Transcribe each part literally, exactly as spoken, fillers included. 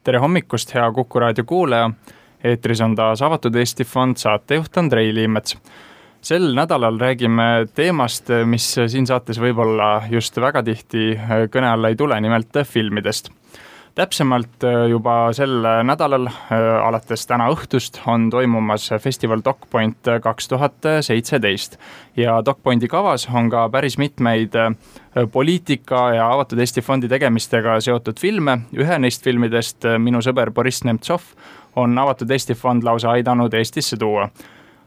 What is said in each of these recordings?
Tere hommikust, hea Kuku raadio kuulaja. Eetris on taas Avatud Eesti Fond, saatejuht Andrei Liimets. Sel nädalal räägime teemast, mis siin saates võib-olla just väga tihti kõne alla ei tule, nimelt filmidest. Täpsemalt juba sel nädalal, alates täna õhtust, on toimumas festival DocPoint kaks tuhat seitseteist. Ja DocPointi kavas on ka päris mitmeid poliitika ja Avatud Eesti Fondi tegemistega seotud filme. Ühe neist filmidest, Minu sõber Boris Nemtsov, on Avatud Eesti Fond lausa aidanud Eestisse tuua.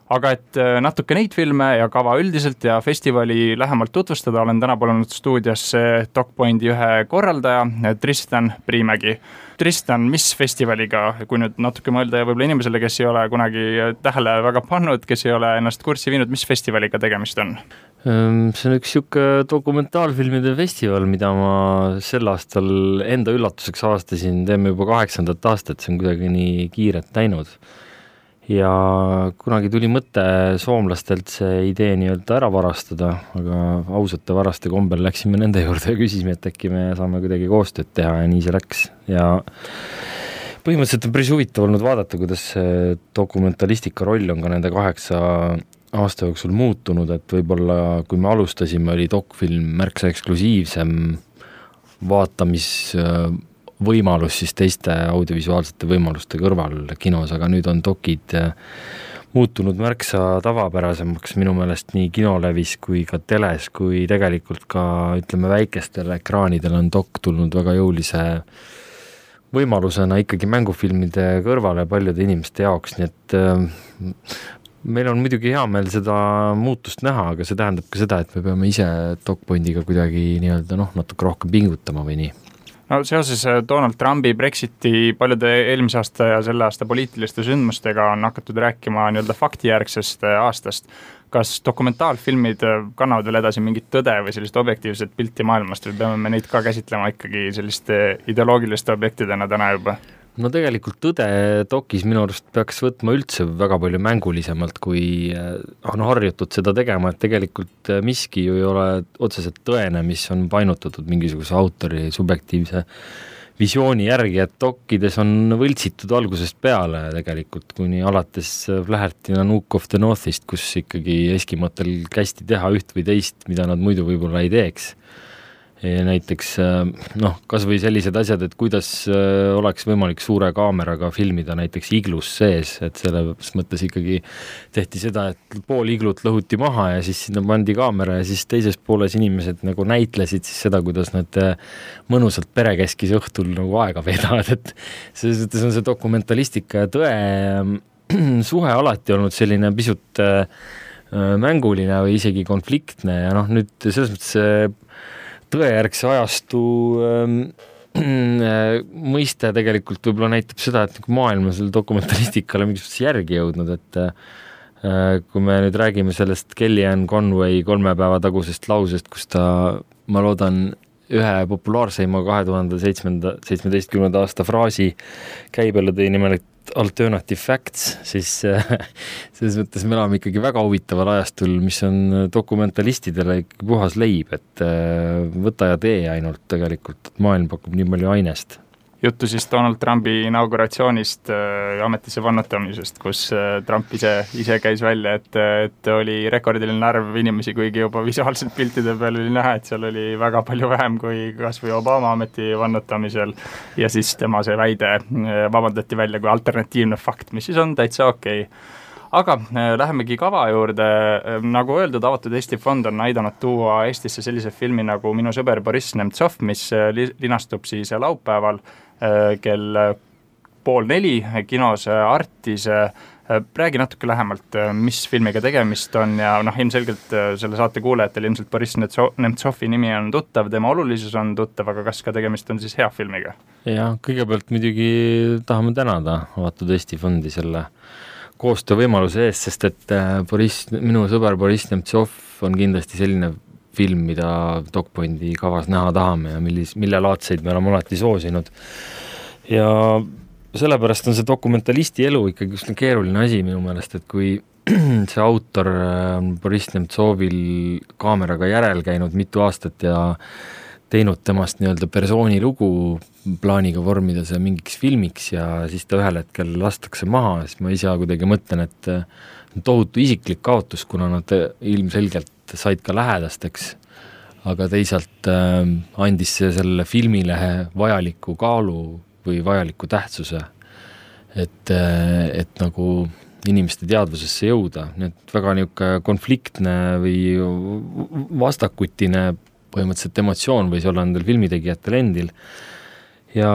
Aga et natuke neid filme ja kava üldiselt ja festivali lähemalt tutvustada, olen täna palunud stuudiosse DocPointi ühe korraldaja, Tristan Priimägi. Tristan, mis festivaliga, kui nüüd natuke mõelda ja võib-olla inimesele, kes ei ole kunagi tähele väga pannud, kes ei ole ennast kurssi viinud, mis festivaliga tegemist on? See on üks siuke dokumentaalfilmide festival, mida ma sel aastal enda üllatuseks avastasin, teeme juba kaheksandat aastat, see on kuidagi nii kiiret näinud. Ja kunagi tuli mõte soomlastelt see idee nii-öelda ära varastada, aga ausate varaste kombel läksime nende juurde ja küsisime, et äkki me saame kuidagi koostööd teha ja nii see läks. Ja põhimõtteliselt on päris huvitav olnud vaadata, kuidas see dokumentalistika roll on ka nende kaheksa aasta jooksul muutunud, et võib-olla kui me alustasime, oli dokfilm märksa eksklusiivsem vaatamis võimalus siis teiste audiovisuaalsete võimaluste kõrval kinos, aga nüüd on dokid muutunud märksa tavapärasemaks minu meelest nii kinolevis kui ka teles, kui tegelikult ka ütleme väikestel ekraanidel on dok tulnud väga jõulise võimalusena ikkagi mängufilmide kõrvale paljude inimeste jaoks, nii et meil on muidugi hea meel seda muutust näha, aga see tähendab ka seda, et me peame ise DocPointiga kuidagi nii-öelda noh, natuke rohkem pingutama või nii. No seoses Donald Trumpi, Brexiti, paljude eelmise aasta ja selle aasta poliitiliste sündmustega on hakatud rääkima nii-öelda faktijärgsest aastast. Kas dokumentaalfilmid kannavad veel edasi mingit tõde või sellist objektiivset pilti maailmast või peame me neid ka käsitlema ikkagi selliste ideoloogiliste objektidena täna juba? No tegelikult tõde dokis minu arust peaks võtma üldse väga palju mängulisemalt, kui on harjutud seda tegema, et tegelikult miski ju ei ole otseselt tõene, mis on painutatud mingisuguse autori subjektiivse visiooni järgi, et dokides on võltsitud algusest peale tegelikult, kuni alates Flaherty Nanook of the Northist, kus ikkagi eskimotel kästi teha üht või teist, mida nad muidu võib-olla ei teeks. Ja näiteks noh, kas või sellised asjad, et kuidas oleks võimalik suure kaameraga filmida näiteks iglus sees, et selles mõttes ikkagi tehti seda, et pool iglut lõhuti maha ja siis sinna pandi kaamera ja siis teises pooles inimesed nagu näitlesid siis seda, kuidas nad mõnusalt perekeskis õhtul nagu aega veedavad, et selles mõttes on see dokumentalistika ja tõe suhe alati olnud selline pisut mänguline või isegi konfliktne ja noh, nüüd selles mõttes tõejärgse ajastu ähm, äh, mõiste tegelikult võib-olla näitab seda, et maailm on selle dokumentalistikale mingisuguseks järgi jõudnud, et äh, kui me nüüd räägime sellest Kellyanne Conway kolme päeva tagusest lausest, kus ta, ma loodan, ühe populaarseima kahe tuhande seitsmeteistkümnenda aasta fraasi käibele tõi nimel, et alternative facts, siis selles mõttes me elame ikkagi väga huvitaval ajastul, mis on dokumentalistidele puhas leib, et võta ja tee ainult tegelikult, et maailm pakub nii palju ainest. Juttu siis Donald Trumpi inauguratsioonist ja ametisse vannutamisest, kus Trump ise, ise käis välja, et, et oli rekordiline arv inimesi, kuigi juba visuaalselt piltide peal oli näha, et seal oli väga palju vähem kui kas või Obama ameti vannutamisel ja siis tema see väide vabandati välja kui alternatiivne fakt, mis siis on täitsa okei. Aga lähemegi kava juurde. Nagu öeldud, Avatud Eesti Fond on aidanud tuua Eestisse sellise filmi nagu Minu sõber Boris Nemtsov, mis linastub siis laupäeval kell pool neli kinos Artis. Räägi natuke lähemalt, mis filmiga tegemist on ja noh, ilmselgelt selle saate kuulajatel ilmselt Boris Nemtsovi nimi on tuttav, tema olulisus on tuttav, aga kas ka tegemist on siis hea filmiga? Ja kõigepealt muidugi tahame tänada Avatud Eesti Fondi selle koostöövõimaluse eest, sest et Boris, minu sõber Boris Nemtsov on kindlasti selline film, mida DocPointi kavas näha tahame ja millis, mille laadseid me oleme alati soosinud. Ja sellepärast on see dokumentalisti elu ikkagi just keeruline asi minu meelest, et kui see autor Boris Nemtsovil kaameraga järel käinud mitu aastat ja teinud temast nii-öelda persooni lugu plaaniga vormida see mingiks filmiks ja siis ta ühel hetkel lastakse maha, siis ma ise kuidagi mõtlen, et tohutu isiklik kaotus, kuna nad ilmselgelt said ka lähedasteks, aga teisalt äh, andis see selle filmilehe vajaliku kaalu või vajaliku tähtsuse, et, et nagu inimeste teadvusesse jõuda. Need väga niisugune konfliktne või vastakutine põhimõtteliselt emotsioon võis olla nendel filmitegijatel endil. Ja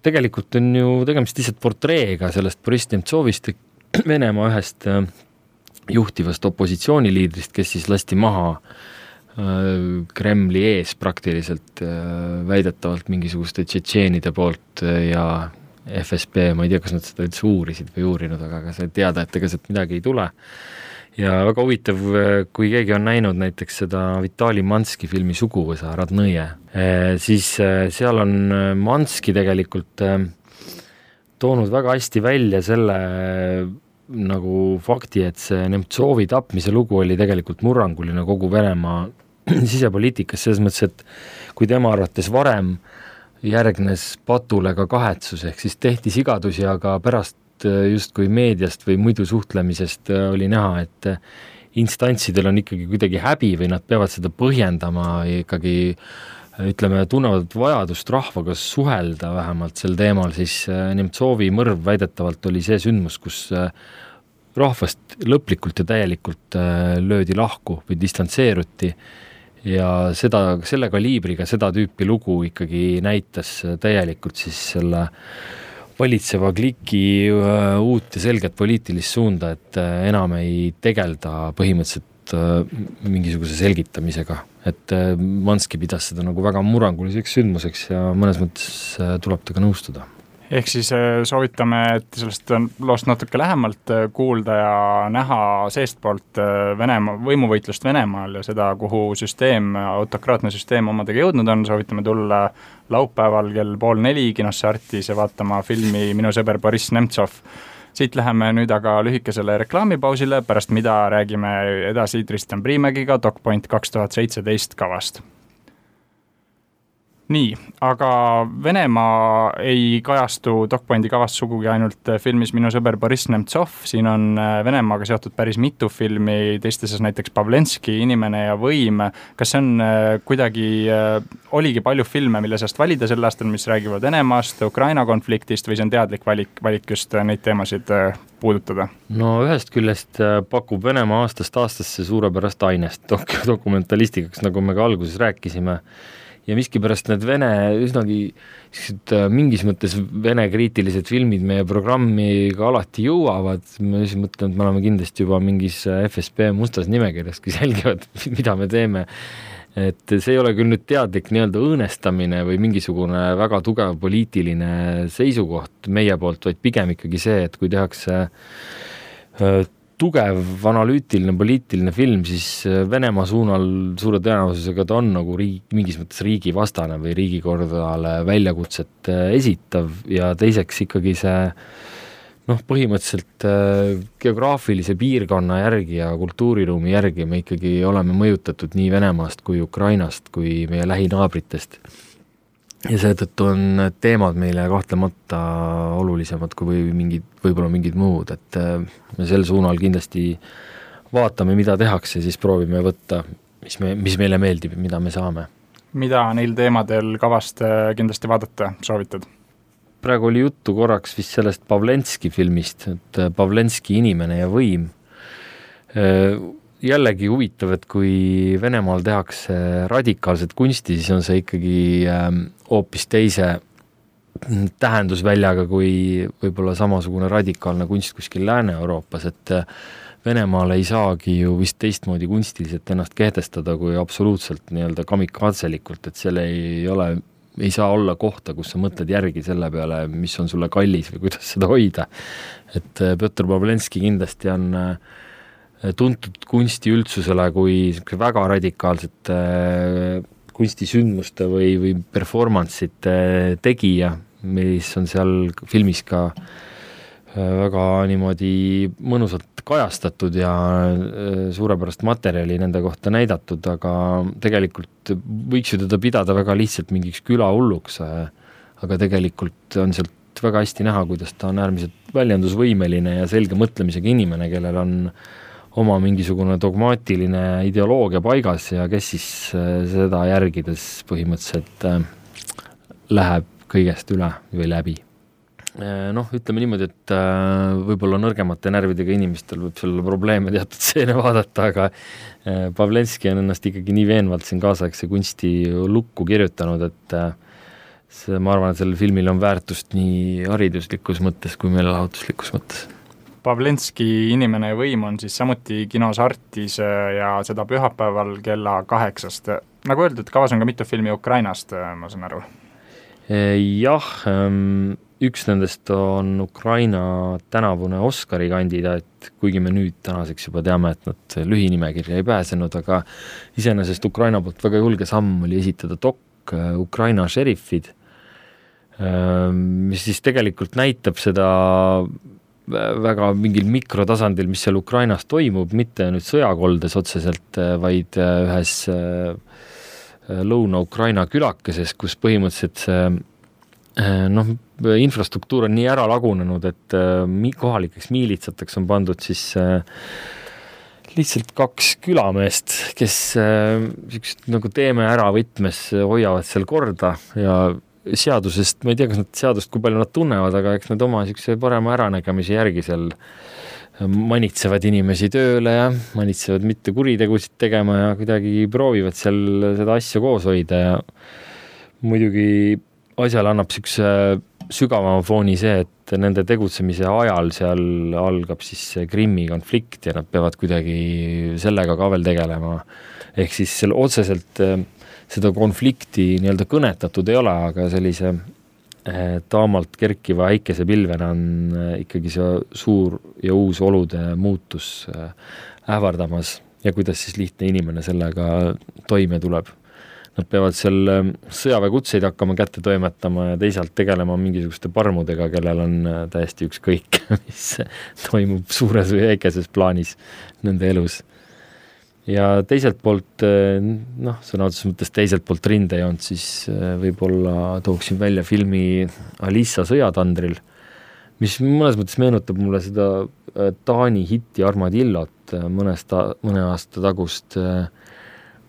tegelikult on ju tegemist lihtsalt portreega sellest Boriss Nemtsovist, Venemaa ühest juhtivast opositsiooniliidrist, kes siis lasti maha Kremli ees praktiliselt väidetavalt mingisuguste tšetšeenide poolt ja F S B, ma ei tea, kas nad seda üldse uurisid või uurinud, aga sai teada, et ega sealt midagi ei tule. Ja väga huvitav, kui keegi on näinud näiteks seda Vitali Manski filmi Suguvõsa Radnõje, siis seal on Manski tegelikult toonud väga hästi välja selle nagu fakti, et see Nemtsovi tapmise lugu oli tegelikult murranguline kogu Venemaa sisepoliitikas, selles mõttes, et kui tema arvates varem järgnes patule ka kahetsus, ehk siis tehti sigadusi, aga pärast justkui meediast või muidu suhtlemisest oli näha, et instantsidel on ikkagi kuidagi häbi või nad peavad seda põhjendama ikkagi, ütleme, tunnevad vajadust rahvaga suhelda vähemalt sel teemal, siis Nemtsovi mõrv väidetavalt oli see sündmus, kus rahvast lõplikult ja täielikult löödi lahku või distantseeruti ja seda, selle kaliibriga seda tüüpi lugu ikkagi näitas täielikult siis selle valitseva kliki uut ja selget poliitilist suunda, et enam ei tegelda põhimõtteliselt mingisuguse selgitamisega. Et Manski pidas seda nagu väga murranguliseks sündmuseks ja mõnes mõttes tuleb ta ka nõustuda. Ehk siis soovitame, et sellest loost natuke lähemalt kuulda ja näha seestpoolt Venemaa, võimuvõitlust Venemaal ja seda, kuhu süsteem, autokraatne süsteem omadega jõudnud on. Soovitame tulla laupäeval kell pool neli kinosse Artis ja vaatama filmi Minu sõber Boriss Nemtsov. Siit läheme nüüd aga lühikesele reklaamipausile, pärast mida räägime edasi Tristan Priimägiga DocPoint kaks tuhat seitseteist kavast. Nii, aga Venemaa ei kajastu DocPointi kavast sugugi ainult filmis Minu sõber Boriss Nemtsov, siin on Venemaaga seotud päris mitu filmi, teistes näiteks Pavlenski Inimene ja võim. Kas see on kuidagi, oligi palju filme, mille seast valida sel aastal, mis räägivad Venemaast, Ukraina konfliktist või see on teadlik valik, valik just neid teemasid puudutada? No ühest küljest pakub Venemaa aastast aastasse suurepärast ainest dok- dokumentalistikaks, nagu me ka alguses rääkisime. Ja miskipärast need Vene, üsnagi mingis mõttes Vene kriitilised filmid meie programmi ka alati jõuavad. Ma siis mõtlen, et me oleme kindlasti juba mingis F S B mustas nimekirjas, kui selgivad, mida me teeme. Et see ei ole küll nüüd teadlik nii-öelda õõnestamine või mingisugune väga tugev poliitiline seisukoht meie poolt, vaid pigem ikkagi see, et kui tehakse tugev analüütiline poliitiline film, siis Venemaa suunal suure tõenäosusega ta on nagu riik, mingis mõttes riigivastane või riigikordale väljakutset esitav ja teiseks ikkagi see noh, põhimõtteliselt geograafilise piirkonna järgi ja kultuuriruumi järgi me ikkagi oleme mõjutatud nii Venemaast kui Ukrainast kui meie lähinaabritest. Ja seetõttu on teemad meile kahtlemata olulisemad kui mingid, võib-olla mingid muud, et me sel suunal kindlasti vaatame, mida tehakse, siis proovime võtta, mis, me, mis meile meeldib, mida me saame. Mida neil teemadel kavast kindlasti vaadata soovitad? Praegu oli juttu korraks vist sellest Pavlenski filmist, et Pavlenski Inimene ja võim. Jällegi huvitav, et kui Venemaal tehakse radikaalset kunsti, siis on see ikkagi hoopis teise tähendusväljaga kui võib-olla samasugune radikaalne kunst kuskil Lääne-Euroopas, et Venemaal ei saagi ju vist teistmoodi kunstiliselt ennast kehtestada kui absoluutselt nii-öelda kamikatselikult, et selle ei ole, ei saa olla kohta, kus sa mõtled järgi selle peale, mis on sulle kallis või kuidas seda hoida. Et Pjotr Pavlenski kindlasti on tuntud kunsti üldsusele kui väga radikaalsete kunstisündmuste või, või performance'ite tegija, mis on seal filmis ka väga niimoodi mõnusalt kajastatud ja suurepärast materjali nende kohta näidatud, aga tegelikult võiks ju teda pidada väga lihtsalt mingiks külahulluks, aga tegelikult on sealt väga hästi näha, kuidas ta on äärmiselt väljendusvõimeline ja selge mõtlemisega inimene, kellel on oma mingisugune dogmaatiline ideoloogia paigas ja kes siis seda järgides põhimõtteliselt läheb kõigest üle või läbi. Noh, ütleme niimoodi, et võib-olla nõrgemate närvidega inimestel võib selle probleeme teatud seene vaadata, aga Pavlenski on ennast ikkagi nii veenvalt siin kaasaegse kunsti lukku kirjutanud, et see, ma arvan, et sellel filmil on väärtust nii hariduslikus mõttes kui meelelahutuslikus mõttes. Pavlenski Inimene ja võim on siis samuti kinos Artis ja seda pühapäeval kella kaheksast. Nagu öeldud, kavas on ka mitu filmi Ukrainast, ma saan aru. Jah, üks nendest on Ukraina tänavune Oscari kandidaat, kuigi me nüüd tänaseks juba teame, et nad lühinimekirja ei pääsenud, aga iseenesest Ukraina poolt väga julge samm oli esitada dok Ukraina šerifid, mis siis tegelikult näitab seda väga mingil mikrotasandil, mis seal Ukrainas toimub, mitte nüüd sõjakoldes otseselt, vaid ühes Lõuna-Ukraina külakeses, kus põhimõtteliselt see noh, infrastruktuur on nii ära lagunenud, et kohalikeks miilitsateks on pandud siis lihtsalt kaks külameest, kes siuksed nagu teeme ära võtmes hoiavad seal korda ja seadusest, ma ei tea, kas nad seadust, kui palju nad tunnevad, aga eks nad oma siukse parema äranägemise järgi seal manitsevad inimesi tööle ja manitsevad mitte kuritegusid tegema ja kuidagi proovivad seal seda asja koos hoida ja muidugi asjale annab siukse sügavama fooni see, et nende tegutsemise ajal seal algab siis see Krimmi konflikt ja nad peavad kuidagi sellega ka veel tegelema. Ehk siis seal otseselt seda konflikti nii-öelda kõnetatud ei ole, aga sellise taamalt kerkiva äikese pilvena on ikkagi see suur ja uus olude muutus ähvardamas ja kuidas siis lihtne inimene sellega toime tuleb. Nad peavad seal sõjaväekutseid hakkama kätte toimetama ja teisalt tegelema mingisuguste parmudega, kellel on täiesti ükskõik, mis toimub suures või väikeses plaanis nende elus. Ja teiselt poolt, noh, sõna otseses mõttes teiselt poolt rindejoont, siis võib-olla tooksin välja filmi Alissa sõjatandril, mis mõnes mõttes meenutab mulle seda Taani hitti Armadillot mõnest, mõne aasta tagust,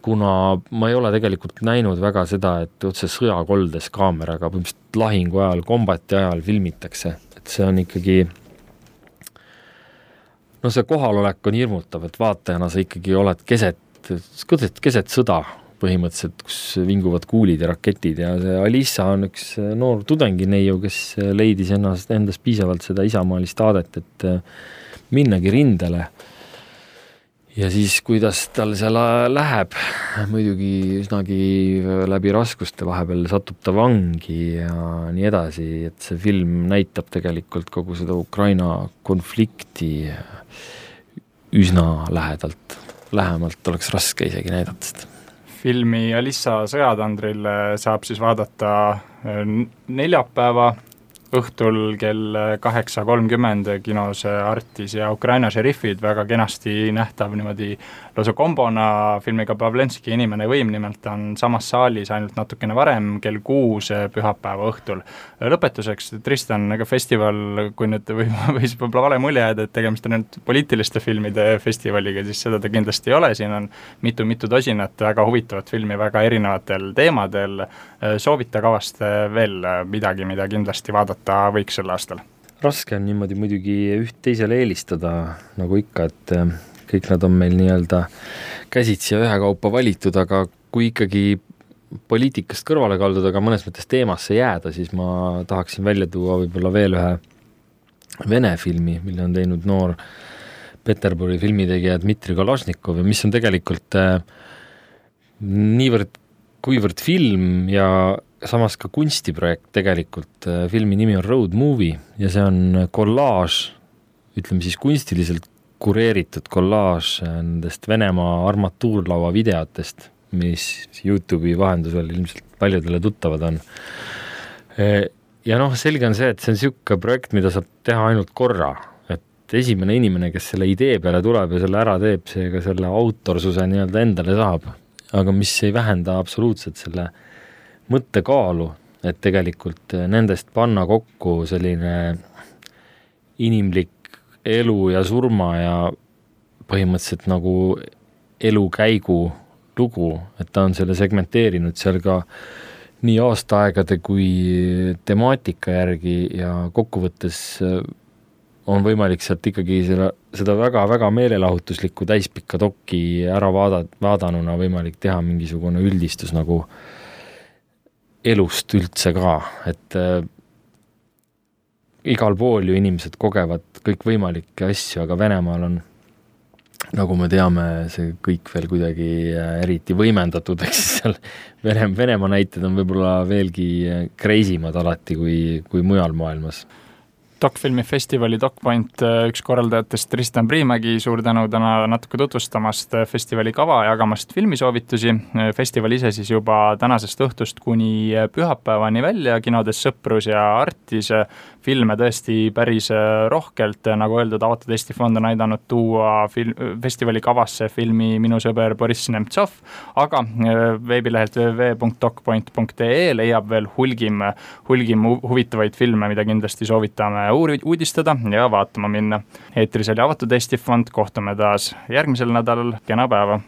kuna ma ei ole tegelikult näinud väga seda, et otse sõjakoldes kaameraga põhimõtteliselt lahingu ajal, kombati ajal filmitakse, et see on ikkagi no see kohalolek on hirmutav, et vaatajana sa ikkagi oled keset, keset, keset sõda põhimõtteliselt, kus vinguvad kuulid ja raketid ja see Alissa on üks noor tudengineiu, kes leidis ennast, endas piisavalt seda isamaalist aadet, et minnagi rindele. Ja siis, kuidas tal seal läheb, muidugi üsnagi läbi raskuste vahepeal satub ta vangi ja nii edasi, et see film näitab tegelikult kogu seda Ukraina konflikti üsna lähedalt. Lähemalt oleks raske isegi näidata seda. Filmi Alissa sõjatandril saab siis vaadata neljapäeva õhtul kell kaheksa kolmkümmend kinos Artis ja Ukraina šerifid väga kenasti nähtav niimoodi lausa kombona filmiga Pavlenski Inimene võim, nimelt on samas saalis ainult natukene varem kell kuus pühapäeva õhtul. Lõpetuseks, Tristan, aga festival, kui nüüd või, võis võib-olla vale mulje jääda, et tegemist on nüüd poliitiliste filmide festivaliga, siis seda ta kindlasti ei ole, siin on mitu-mitu tosinat väga huvitavat filmi väga erinevatel teemadel. Soovita kavast veel midagi, mida kindlasti vaadata võiks sel aastal? Raske on niimoodi muidugi üht teisele eelistada, nagu ikka, et kõik nad on meil nii-öelda käsitsi ja ühe kaupa valitud, aga kui ikkagi poliitikast kõrvale kalduda, aga mõnes mõttes teemasse jääda, siis ma tahaksin välja tuua võib-olla veel ühe Vene filmi, mille on teinud noor Peterburi filmitegija Dmitri Kalašnikov, mis on tegelikult niivõrd kuivõrd film ja samas ka kunstiprojekt tegelikult. Filmi nimi on Road Movie ja see on kollaaž, ütleme siis kunstiliselt kureeritud kollaaž nendest Venemaa armatuurlaua videotest, mis YouTube'i vahendusel ilmselt paljudele tuttavad on. ja noh, selge on see, et see on niisugune projekt, mida saab teha ainult korra, et esimene inimene, kes selle idee peale tuleb ja selle ära teeb, see ka selle autorsuse nii-öelda endale saab, aga mis ei vähenda absoluutselt selle mõttekaalu, et tegelikult nendest panna kokku selline inimlik elu ja surma ja põhimõtteliselt nagu elukäigu lugu, et ta on selle segmenteerinud seal ka nii aastaaegade kui temaatika järgi ja kokkuvõttes on võimalik sealt ikkagi seda, seda väga-väga meelelahutuslikku täispikka dokki ära vaada, vaadanuna võimalik teha mingisugune üldistus nagu elust üldse ka, et äh, igal pool ju inimesed kogevad kõikvõimalikke asju, aga Venemaal on, nagu me teame, see kõik veel kuidagi eriti võimendatud, eks seal Vene, Venemaa näited on võib-olla veelgi kreisimad alati kui, kui mujal maailmas. Dokfilmifestivali DocPoint üks korraldajatest Tristan Priimägi, suur tänu täna natuke tutvustamast festivali kava ja jagamast filmisoovitusi. Festival ise siis juba tänasest õhtust kuni pühapäevani välja, kinodes Sõprus ja Artis filme tõesti päris rohkelt, nagu öeldud, Avatud Eesti Fond on aidanud tuua film, festivali kavasse filmi Minu sõber Boriss Nemtsov, aga veebilehelt w w w punkt docpoint punkt e leiab veel hulgim, hulgim huvitavaid filme, mida kindlasti soovitame uudistada ja vaatama minna. Eetris oli Avatud Eesti Fond, kohtume taas järgmisel nädalal, kena päeva!